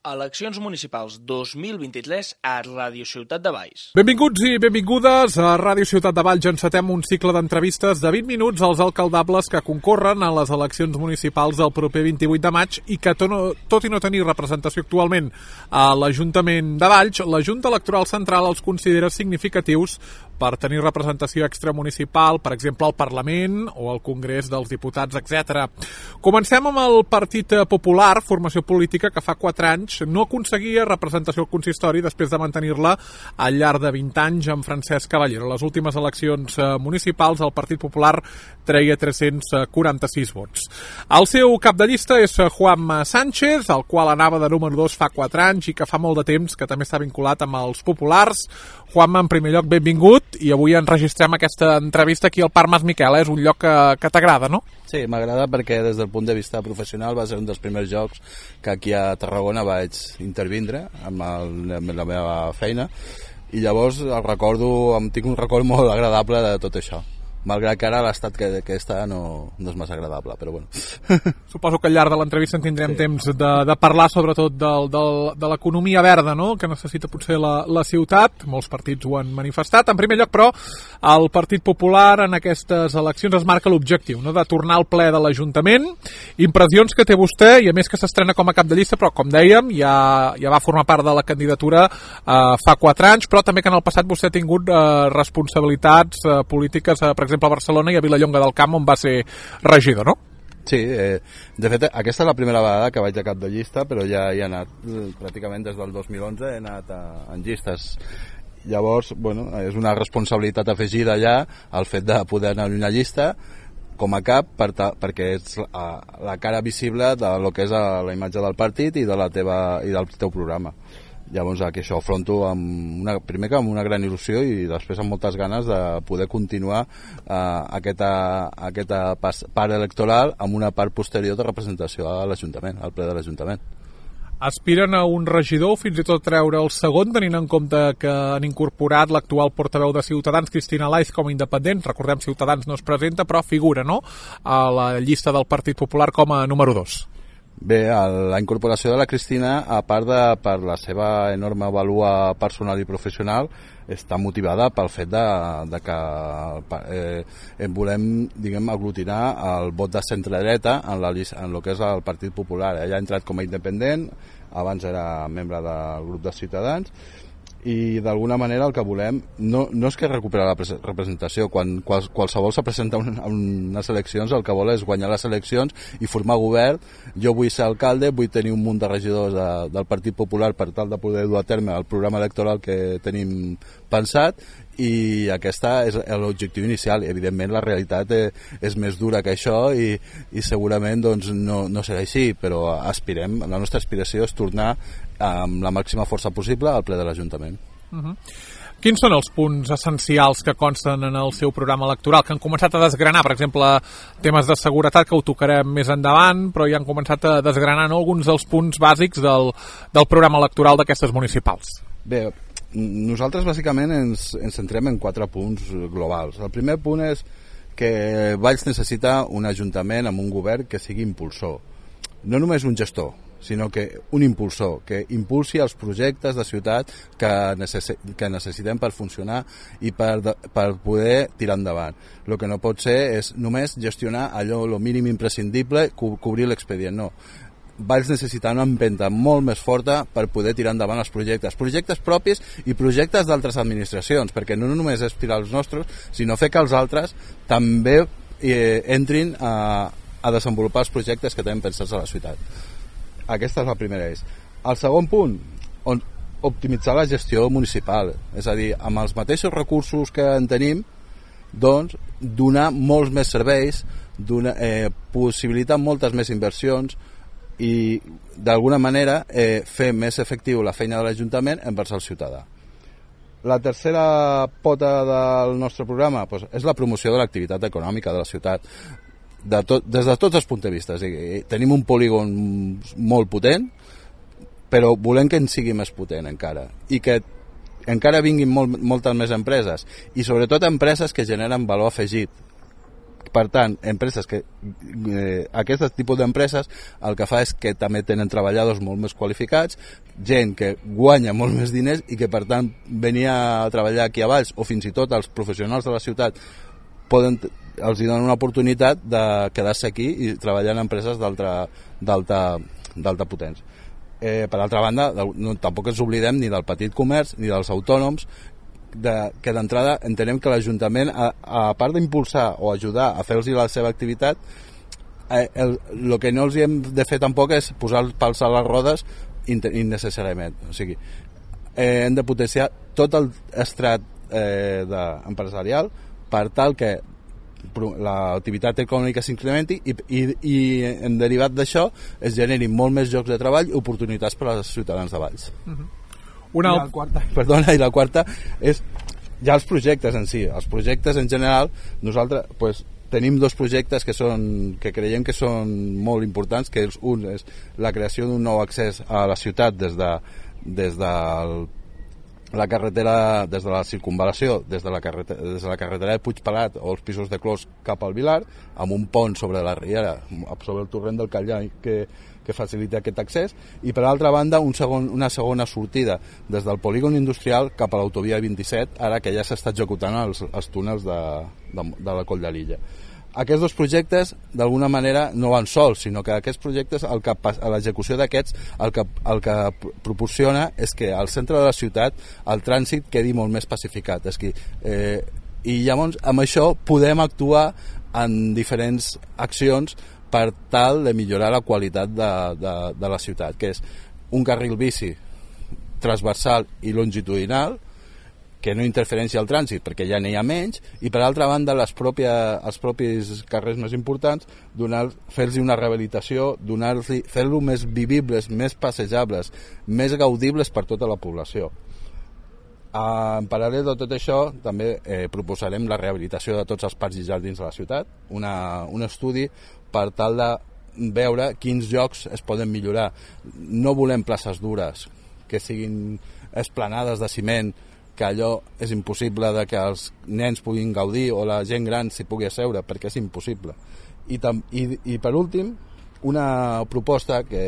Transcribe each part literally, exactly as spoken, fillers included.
Eleccions municipals dos mil vint-i-tres a Ràdio Ciutat de Valls. Benvinguts i benvingudes a Ràdio Ciutat de Valls. Encetem un cicle d'entrevistes de vint minuts als alcaldables que concorren a les eleccions municipals del proper vint-i-vuit de maig i que, tot i no tenir representació actualment a l'Ajuntament de Valls, la Junta Electoral Central els considera significatius per tenir representació extramunicipal, per exemple, al Parlament o al Congrés dels Diputats, etcètera. Comencem amb el Partit Popular, formació política que fa quatre anys no aconseguia representació al consistori després de mantenir-la al llarg de vint anys amb Francesc Caballero. A les últimes eleccions municipals el Partit Popular treia tres-cents quaranta-sis vots. El seu cap de llista és Juanma Sánchez, el qual anava de número dos fa quatre anys i que fa molt de temps que també està vinculat amb els populars. Juanma, en primer lloc, benvingut, i avui enregistrem aquesta entrevista aquí al Parc Mas Miquel. És un lloc que, que t'agrada, no? Sí, m'agrada perquè des del punt de vista professional va ser un dels primers jocs que aquí a Tarragona vaig intervindre amb, el, amb la meva feina, i llavors el recordo, em tinc un record molt agradable de tot això, malgrat que ara l'estat que, que està no, no és massa agradable, però bueno. Suposo que al llarg de l'entrevista en tindrem sí. temps de, de parlar sobretot del, del, de l'economia verda, no?, que necessita potser la, la ciutat. Molts partits ho han manifestat. En primer lloc, però, el Partit Popular en aquestes eleccions es marca l'objectiu, no?, de tornar al ple de l'Ajuntament. Impressions que té vostè, i a més que s'estrena com a cap de llista, però com dèiem, ja, ja va formar part de la candidatura eh, fa quatre anys, però també que en el passat vostè ha tingut eh, responsabilitats eh, polítiques, eh, per exemple, a Barcelona i a Vilallonga del Camp, on va ser regidor, no? Sí, eh, de fet, aquesta és la primera vegada que vaig a cap de llista, però ja hi he anat pràcticament des del dos mil onze, he anat a, en llistes. Llavors, bueno, és una responsabilitat afegida ja el fet de poder anar a una llista com a cap, per ta, perquè és la, la cara visible de lo que és la imatge del partit i, de la teva, i del teu programa. Llavors aquí això ho afronto amb una, primer que amb una gran il·lusió i després amb moltes ganes de poder continuar eh, aquesta, aquesta part electoral amb una part posterior de representació a l'Ajuntament, al ple de l'Ajuntament. Aspiren a un regidor, fins i tot treure el segon, tenint en compte que han incorporat l'actual portaveu de Ciutadans, Cristina Laiz, com a independent. Recordem, Ciutadans no es presenta, però figura, no?, a la llista del Partit Popular com a número dos. Bé, la incorporació de la Cristina, a part de per la seva enorme vàlua personal i professional, està motivada pel fet de, de que eh, volem, diguem, aglutinar el vot de centre-dreta en, la, en el que és el Partit Popular. Ella ha entrat com a independent, abans era membre del grup de Ciutadans, i d'alguna manera el que volem no, no és que recuperar la representació. Quan qual, qualsevol se presenta a unes eleccions, el que vol és guanyar les eleccions i formar govern. Jo vull ser alcalde, vull tenir un munt de regidors de, del Partit Popular per tal de poder dur a terme el programa electoral que tenim pensat, i aquesta és l'objectiu inicial. Evidentment la realitat és més dura que això i, i segurament doncs, no, no serà així, però aspirem, la nostra aspiració és tornar amb la màxima força possible al ple de l'Ajuntament. Uh-huh. Quins són els punts essencials que consten en el seu programa electoral, que han començat a desgranar? Per exemple, temes de seguretat, que ho tocarem més endavant, però ja han començat a desgranar, no?, alguns dels punts bàsics del, del programa electoral d'aquestes municipals. Bé, nosaltres bàsicament ens, ens centrem en quatre punts globals. El primer punt és que Valls necessita un ajuntament amb un govern que sigui impulsor, no només un gestor, sinó que un impulsor, que impulsi els projectes de ciutat que, necess que necessitem per funcionar i per, per poder tirar endavant. El que no pot ser és només gestionar allò, el mínim imprescindible, co cobrir l'expedient, no. Valls necessita una empenta molt més forta per poder tirar endavant els projectes, projectes propis i projectes d'altres administracions, perquè no només és tirar els nostres, sinó fer que els altres també eh, entrin a, a desenvolupar els projectes que tenen pensats a la ciutat. Aquesta és la primera eix. El segon punt, on optimitzar la gestió municipal, és a dir, amb els mateixos recursos que en tenim, doncs donar molts més serveis, donar, eh, possibilitar moltes més inversions i d'alguna manera eh, fer més efectiu la feina de l'Ajuntament envers el ciutadà. La tercera pota del nostre programa doncs, és la promoció de l'activitat econòmica de la ciutat, de tot, des de tots els punts de vista. Tenim un polígon molt potent, però volem que en sigui més potent encara, i que encara vinguin molt, moltes més empreses, i sobretot empreses que generen valor afegit, per tant, empreses que eh, aquest tipus d'empreses el que fa és que també tenen treballadors molt més qualificats, gent que guanya molt més diners i que per tant venia a treballar aquí a Valls, o fins i tot els professionals de la ciutat poden, els donen una oportunitat de quedar-se aquí i treballar en empreses d'alta d'alta potència. Eh, per altra banda, no, tampoc ens oblidem ni del petit comerç ni dels autònoms, de, que d'entrada entenem que l'Ajuntament, a, a part d'impulsar o ajudar a fer-los la seva activitat, eh, el, el que no els hem de fer tampoc és posar els pals a les rodes innecessàriament. O sigui, eh, hem de potenciar tot el estrat eh, de, empresarial per tal que l'activitat econòmica s'incrementi i, i, i en derivat d'això es generin molt més llocs de treball i oportunitats per als ciutadans de Valls. Uh-huh. Una I la quarta, perdona, i la quarta és ja els projectes en si. Els projectes en general, nosaltres pues, tenim dos projectes que, són, que creiem que són molt importants, que un és la creació d'un nou accés a la ciutat des de, des del la carretera, des de la circunvalació, des de la carretera, des de la carretera de Puigpelat o els pisos de Clos cap al Vilar, amb un pont sobre la riera, sobre el torrent del Callai que, que facilita aquest accés, i per altra banda un segon, una segona sortida des del polígon industrial cap a l'autovia vint-i-set, ara que ja s'està executant els, els túnels de, de, de la Coll de l'Illa. Aquests dos projectes d'alguna manera no van sols, sinó que aquests projectes, el que, a l'execució d'aquests, el que, el que proporciona és que al centre de la ciutat el trànsit quedi molt més pacificat. És que, eh, i llavors amb això podem actuar en diferents accions per tal de millorar la qualitat de, de, de la ciutat, que és un carril bici transversal i longitudinal que no interferència al trànsit perquè ja n'hi ha menys, i per altra banda les pròpia, els propis carrers més importants fer-los una rehabilitació, fer-los més vivibles, més passejables, més gaudibles per tota la població. En paral·lel de tot això també eh, proposarem la rehabilitació de tots els parcs i jardins de la ciutat, una, un estudi per tal de veure quins llocs es poden millorar. No volem places dures que siguin esplanades de ciment, que allò és impossible de que els nens puguin gaudir o la gent gran s'hi pugui asseure, perquè és impossible. I, tam, i, i per últim, una proposta que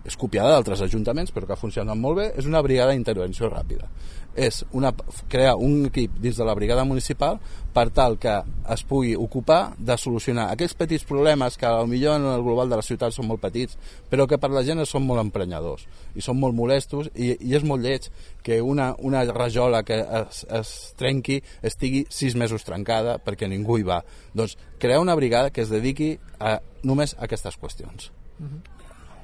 és copiada d'altres ajuntaments però que ha funcionat molt bé, és una brigada d'intervenció ràpida. És una, crear un equip dins de la brigada municipal per tal que es pugui ocupar de solucionar aquells petits problemes que potser en el global de la ciutat són molt petits, però que per la gent són molt emprenyadors i són molt molestos, i, i és molt lleig que una, una rajola que es, es trenqui estigui sis mesos trencada perquè ningú hi va. Doncs crear una brigada que es dediqui a, només a aquestes qüestions. Uh-huh.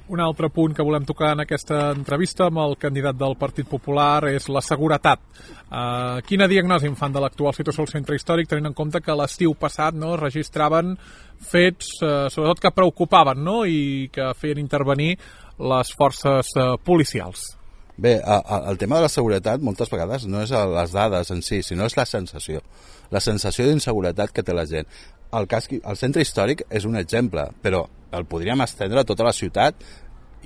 Un altre punt que volem tocar en aquesta entrevista amb el candidat del Partit Popular és la seguretat. Uh, quina diagnosi en fan de l'actual situació al centre històric, tenint en compte que l'estiu passat no, registraven fets, uh, sobretot que preocupaven, no?, i que feien intervenir les forces uh, policials? Bé, a, a, el tema de la seguretat moltes vegades no és les dades en si, sinó és la sensació. La sensació d'inseguretat que té la gent. El, cas, el centre històric és un exemple, però el podríem estendre a tota la ciutat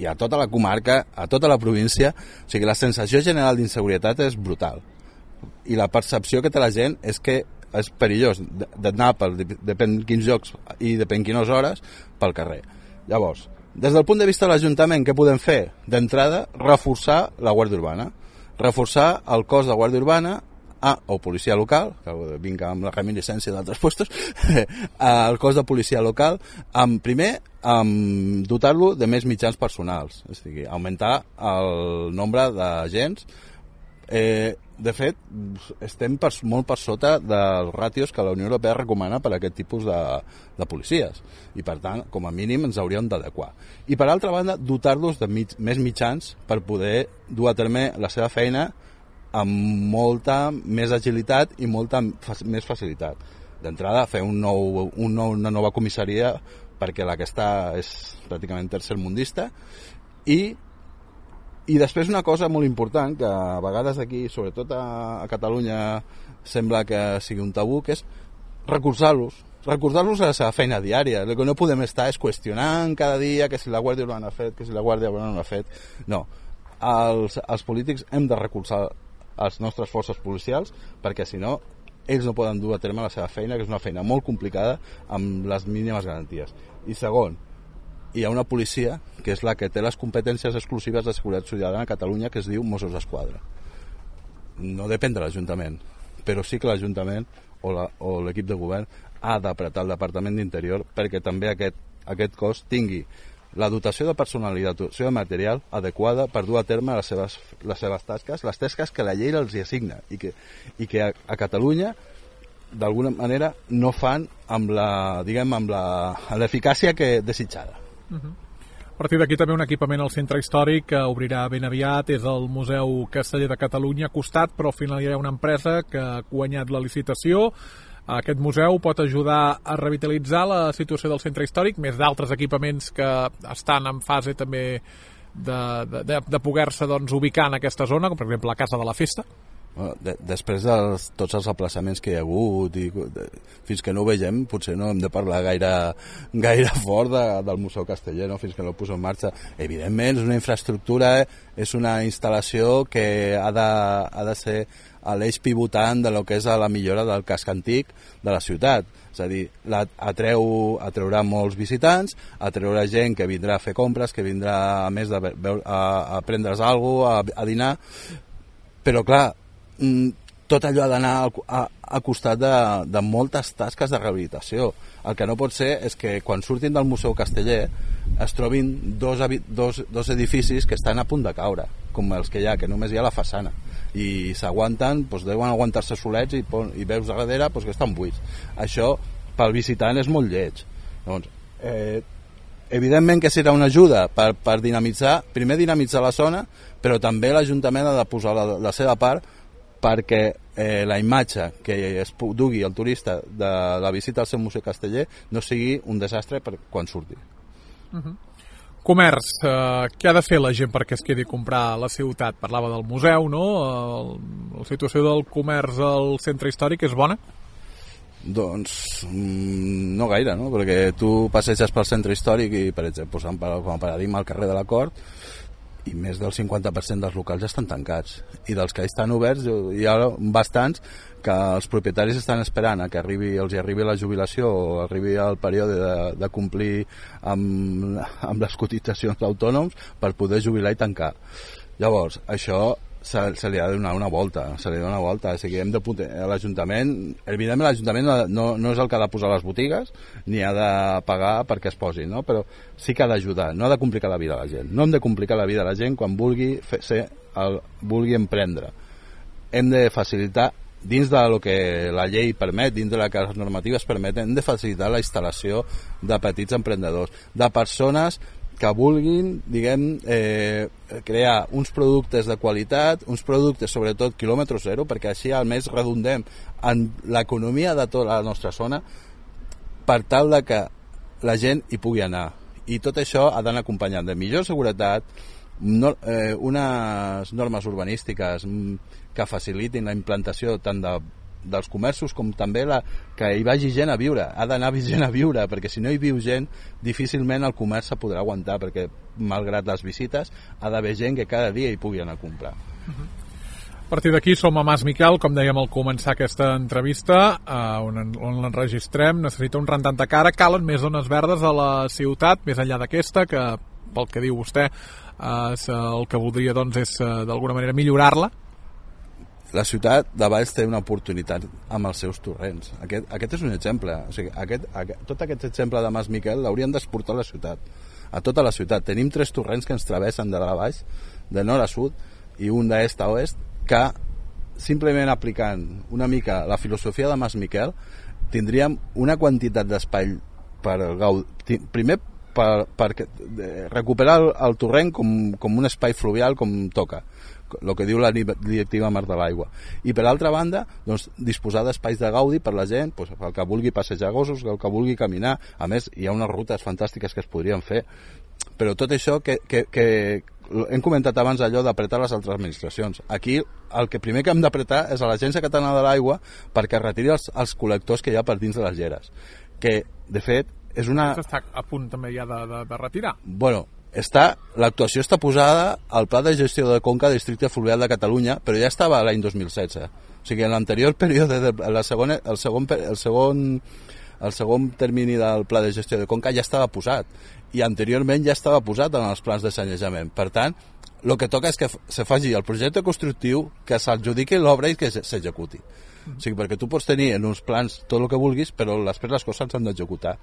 i a tota la comarca, a tota la província. O sigui, la sensació general d'inseguretat és brutal. I la percepció que té la gent és que és perillós d'anar per depèn quins llocs i depèn quines hores pel carrer. Llavors, des del punt de vista de l'Ajuntament, què podem fer? D'entrada, reforçar la Guàrdia Urbana. Reforçar el cos de Guàrdia Urbana Ah, o policia local, que vinc amb la reminiscència d'altres puestos, el cos de policia local, amb, primer, amb dotar-lo de més mitjans personals, és a dir, augmentar el nombre d'agents. Eh, de fet, estem per, molt per sota dels ràtios que la Unió Europea recomana per a aquest tipus de, de policies, i per tant, com a mínim, ens hauríem d'adequar. I per altra banda, dotar-los de mig, més mitjans per poder dur a terme la seva feina amb molta més agilitat i molta més facilitat. D'entrada, fer un nou, un nou, una nova comissaria perquè la que està és pràcticament tercermundista, i, i després una cosa molt important que a vegades aquí, sobretot a, a Catalunya, sembla que sigui un tabú, que és recolzar-los, recordar-los a la seva feina diària. El que no podem estar és qüestionant cada dia que si la Guàrdia Urbana ha fet, que si la Guàrdia Urbana no ha fet. No, els, els polítics hem de recolzar les nostres forces policials, perquè si no ells no poden dur a terme la seva feina, que és una feina molt complicada amb les mínimes garanties. I segon, hi ha una policia que és la que té les competències exclusives de seguretat ciutadana a Catalunya, que es diu Mossos d'Esquadra. No depèn de l'Ajuntament, però sí que l'Ajuntament o, la, o l'equip de govern ha d'apretar el Departament d'Interior perquè també aquest, aquest cos tingui la dotació de personal i la dotació de material adequada per dur a terme les seves, les seves tasques, les tasques que la llei els hi assigna i que, i que a, a Catalunya d'alguna manera no fan amb la, diguem, amb la, amb l'eficàcia que desitjada. Uh-huh. A partir d'aquí també un equipament al centre històric que obrirà ben aviat, és el Museu Casteller de Catalunya, costat, però al final hi ha una empresa que ha guanyat la licitació. Aquest museu pot ajudar a revitalitzar la situació del centre històric, més d'altres equipaments que estan en fase també de, de, de poder-se doncs, ubicar en aquesta zona, com per exemple la Casa de la Festa. De, després de tots els aplaçaments que hi ha hagut i de, fins que no ho vegem potser no hem de parlar gaire, gaire fort de, del Museu Casteller, no? Fins que no ho poso en marxa. Evidentment és una infraestructura, eh? És una instal·lació que ha de, ha de ser a l'eix pivotant de lo que és la millora del casc antic de la ciutat. És a dir, la, atreu, atreurà molts visitants, atreurà gent que vindrà a fer compres, que vindrà a més de veure, a, a prendre's alguna cosa, a, a dinar, però clar, tot allò ha d'anar a, a costat de, de moltes tasques de rehabilitació. El que no pot ser és que quan surtin del Museu Casteller es trobin dos, dos, dos edificis que estan a punt de caure, com els que hi ha, que només hi ha la façana, i s'aguanten, doncs deuen aguantar-se solets i, i veus a darrere doncs, que estan buits. Això pel visitant és molt lleig. Doncs, eh, evidentment que serà una ajuda per, per dinamitzar, primer dinamitzar la zona, però també l'Ajuntament ha de posar la, la seva part perquè eh, la imatge que es dugui el turista de la visita al seu Museu Casteller no sigui un desastre per quan surti. Uh-huh. Comerç, eh, què ha de fer la gent perquè es quedi a comprar a la ciutat? Parlava del museu, no? El, la situació del comerç al centre històric és bona? Doncs mm, no gaire, no? Perquè tu passeges pel centre històric i, per exemple, posant com a paradigma al carrer de la Cort, i més del cinquanta per cent dels locals ja estan tancats, i dels que estan oberts hi ha bastants que els propietaris estan esperant a que arribi, els hi arribi la jubilació o arribi el període de, de complir amb, amb les cotitzacions d'autònoms per poder jubilar i tancar. Llavors, això se, se li ha de donar una volta, se li ha de donar una volta, o sigui, hem de a l'Ajuntament, evidentment l'Ajuntament no, no és el que ha de posar les botigues, ni ha de pagar perquè es posi, no? Però sí que ha d'ajudar, no ha de complicar la vida a la gent, no hem de complicar la vida a la gent quan vulgui fer, ser, el, vulgui emprendre. Hem de facilitar, dins de lo que la llei permet, dins de la que les normatives permeten, hem de facilitar la instal·lació de petits emprenedors, de persones que vulguin, diguem, eh, crear uns productes de qualitat, uns productes sobretot quilòmetre zero, perquè així almenys redundem en l'economia de tota la nostra zona per tal de que la gent hi pugui anar. I tot això ha d'anar acompanyat de millor seguretat, no, eh, unes normes urbanístiques que facilitin la implantació tant de dels comerços com també la, que hi vagi gent a viure, ha d'anar gent a viure, perquè si no hi viu gent difícilment el comerç se podrà aguantar, perquè malgrat les visites ha d'haver gent que cada dia hi pugui anar a comprar. Uh-huh. A partir d'aquí som a Mas Miquel, com dèiem al començar aquesta entrevista, eh, on, on l'enregistrem, necessita un rentant de cara, calen més zones verdes a la ciutat, més enllà d'aquesta, que pel que diu vostè eh, el que voldria doncs, és eh, d'alguna manera millorar-la. La ciutat de Valls té una oportunitat amb els seus torrents. Aquest, aquest és un exemple. O sigui, aquest, aquest, tot aquest exemple de Mas Miquel l'haurien d'exportar a la ciutat, a tota la ciutat. Tenim tres torrents que ens travessen de dalt a baix, de nord a sud, i un d'est a oest, que simplement aplicant una mica la filosofia de Mas Miquel tindríem una quantitat d'espai per gaudir. Primer, per, per recuperar el, el torrent com, com un espai fluvial com toca, el que diu la directiva Mar de l'Aigua, i per altra banda doncs, disposar d'espais de gaudi per la gent, doncs, el que vulgui passejar gossos, el que vulgui caminar. A més hi ha unes rutes fantàstiques que es podrien fer, però tot això que, que, que hem comentat abans allò d'apretar les altres administracions. Aquí el que primer que hem d'apretar és a l'Agència Catalana de l'Aigua perquè retiri els, els col·lectors que hi ha per dins de les lleres, que de fet és una... Està a punt també ja de, de, de retirar. Bueno, està, l'actuació està posada al Pla de Gestió de Conca del Districte Fluvial de Catalunya, però ja estava l'any dos mil setze. O sigui, en l'anterior període, de, la segona, el, segon, el, segon, el segon termini del Pla de Gestió de Conca ja estava posat, i anteriorment ja estava posat en els plans de sanejament. Per tant, el que toca és que se faci el projecte constructiu, que s'adjudiqui l'obra i que s'executi. O sigui, perquè tu pots tenir en uns plans tot el que vulguis, però després les coses s'han d'executar.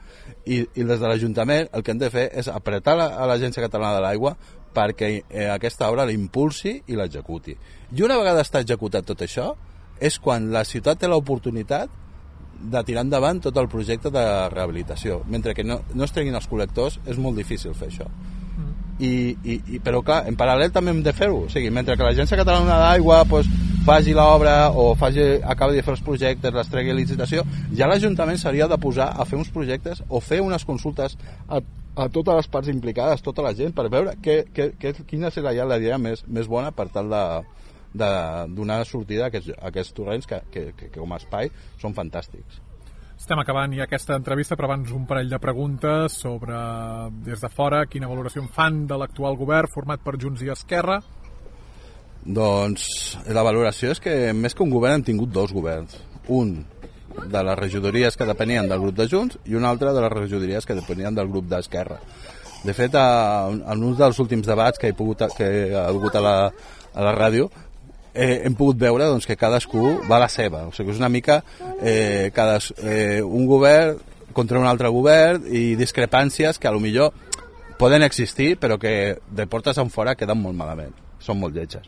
I, I des de l'Ajuntament el que hem de fer és apretar la, a l'Agència Catalana de l'Aigua perquè eh, aquesta obra l'impulsi i l'executi. I una vegada està executat tot això, és quan la ciutat té l'oportunitat de tirar endavant tot el projecte de rehabilitació. Mentre que no, no es treguin els col·lectors, és molt difícil fer això. I, i, i, però clar, en paral·lel també hem de fer-ho, o sigui, mentre que l'Agència Catalana d'Aigua pues, faci l'obra o faci, acabi de fer els projectes, les tregui a licitació, ja l'Ajuntament s'hauria de posar a fer uns projectes o fer unes consultes a, a totes les parts implicades, tota la gent, per veure que, que, que, quina serà ja la idea més, més bona per tal de, de donar sortida a aquests, a aquests torrents que, que, que, que com a espai són fantàstics. Estem acabant ja aquesta entrevista, però abans un parell de preguntes sobre, des de fora, quina valoració en fan de l'actual govern format per Junts i Esquerra? Doncs la valoració és que més que un govern hem tingut dos governs. Un de les regidories que depenien del grup de Junts i un altre de les regidories que depenien del grup d'Esquerra. De fet, en un dels últims debats que he, pogut, que he hagut a la, a la ràdio, Eh, hem pogut veure doncs, que cadascú va a la seva, o sigui, és una mica eh, cadas, eh, un govern contra un altre govern i discrepàncies que a lo millor poden existir però que de portes en fora queden molt malament, són molt lletges.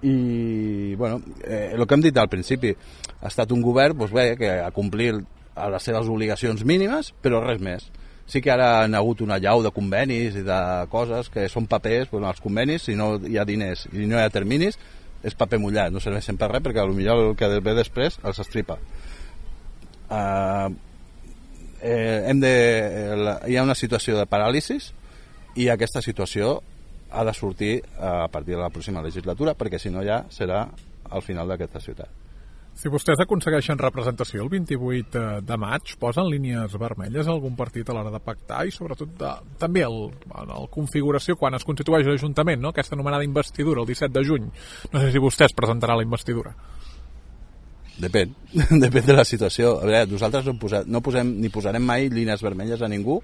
I bueno, eh, el que hem dit al principi, ha estat un govern doncs, bé, que ha complit a les seves obligacions mínimes però res més. Sí que ara han hagut una llau de convenis i de coses que són papers, bueno, els convenis, si no hi ha diners i no hi ha terminis, és paper mullat, no serveixen per res perquè potser el que ve després els estripa. Uh, eh, hem de, la, hi ha una situació de paràlisis i aquesta situació ha de sortir a partir de la pròxima legislatura perquè si no ja serà al final d'aquesta ciutat. Si vostès aconsegueixen representació el vint-i-vuit de maig, posen línies vermelles a algun partit a l'hora de pactar i sobretot de, també el, el configuració quan es constitueix l'Ajuntament, no? Aquesta anomenada investidura el disset de juny. No sé si vostès presentaran la investidura. Depèn, depèn de la situació. A veure, nosaltres no, posat, no posem ni posarem mai línies vermelles a ningú.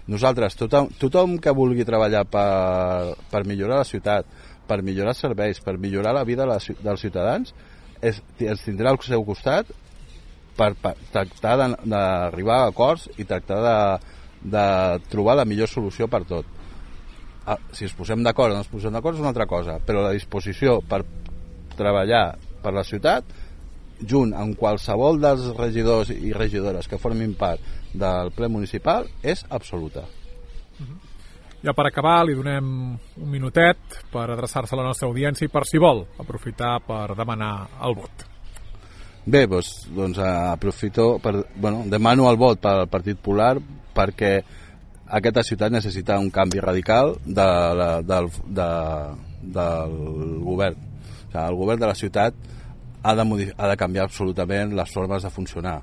Nosaltres, tothom, tothom que vulgui treballar per, per millorar la ciutat, per millorar els serveis, per millorar la vida dels ciutadans, és, els tindrà al seu costat per, per tractar d'arribar a acords i tractar de, de trobar la millor solució per tot. Si ens posem d'acord o no ens posem d'acord és una altra cosa, però la disposició per treballar per la ciutat junt amb qualsevol dels regidors i regidores que formin part del ple municipal és absoluta. Ja per acabar li donem un minutet per adreçar-se a la nostra audiència i per si vol aprofitar per demanar el vot. Bé, doncs, doncs aprofito per, bueno, demano el vot pel Partit Popular perquè aquesta ciutat necessita un canvi radical de la, del, de, del govern. O sigui, el govern de la ciutat ha de, modif- ha de canviar absolutament les formes de funcionar.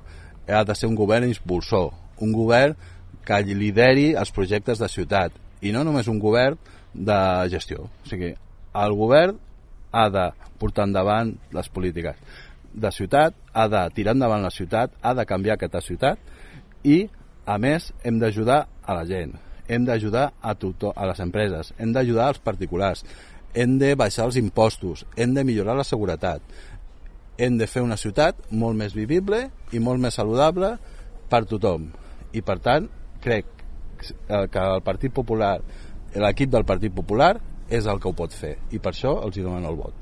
Ha de ser un govern impulsor, un govern que lideri els projectes de ciutat i no només un govern de gestió. O sigui, el govern ha de portar endavant les polítiques de ciutat, ha de tirar endavant la ciutat, ha de canviar aquesta ciutat i, a més, hem d'ajudar a la gent, hem d'ajudar a tothom, a les empreses, hem d'ajudar als particulars, hem de baixar els impostos, hem de millorar la seguretat, hem de fer una ciutat molt més vivible i molt més saludable per tothom. I, per tant, crec que el Partit Popular, l'equip del Partit Popular és el que ho pot fer i per això els hi donen el vot.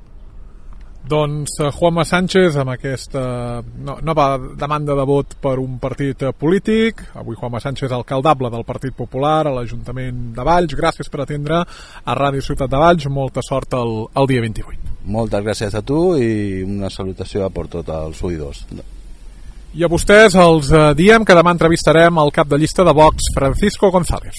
Doncs Juanma Sánchez amb aquesta nova demanda de vot per un partit polític. Avui Juanma Sánchez, alcaldable del Partit Popular a l'Ajuntament de Valls. Gràcies per atendre a Ràdio Ciutat de Valls. Molta sort el, el dia vint-i-vuit. Moltes gràcies a tu i una salutació per tots els oïdors. I a vostès els diem que demà entrevistarem el cap de llista de Vox, Francisco González.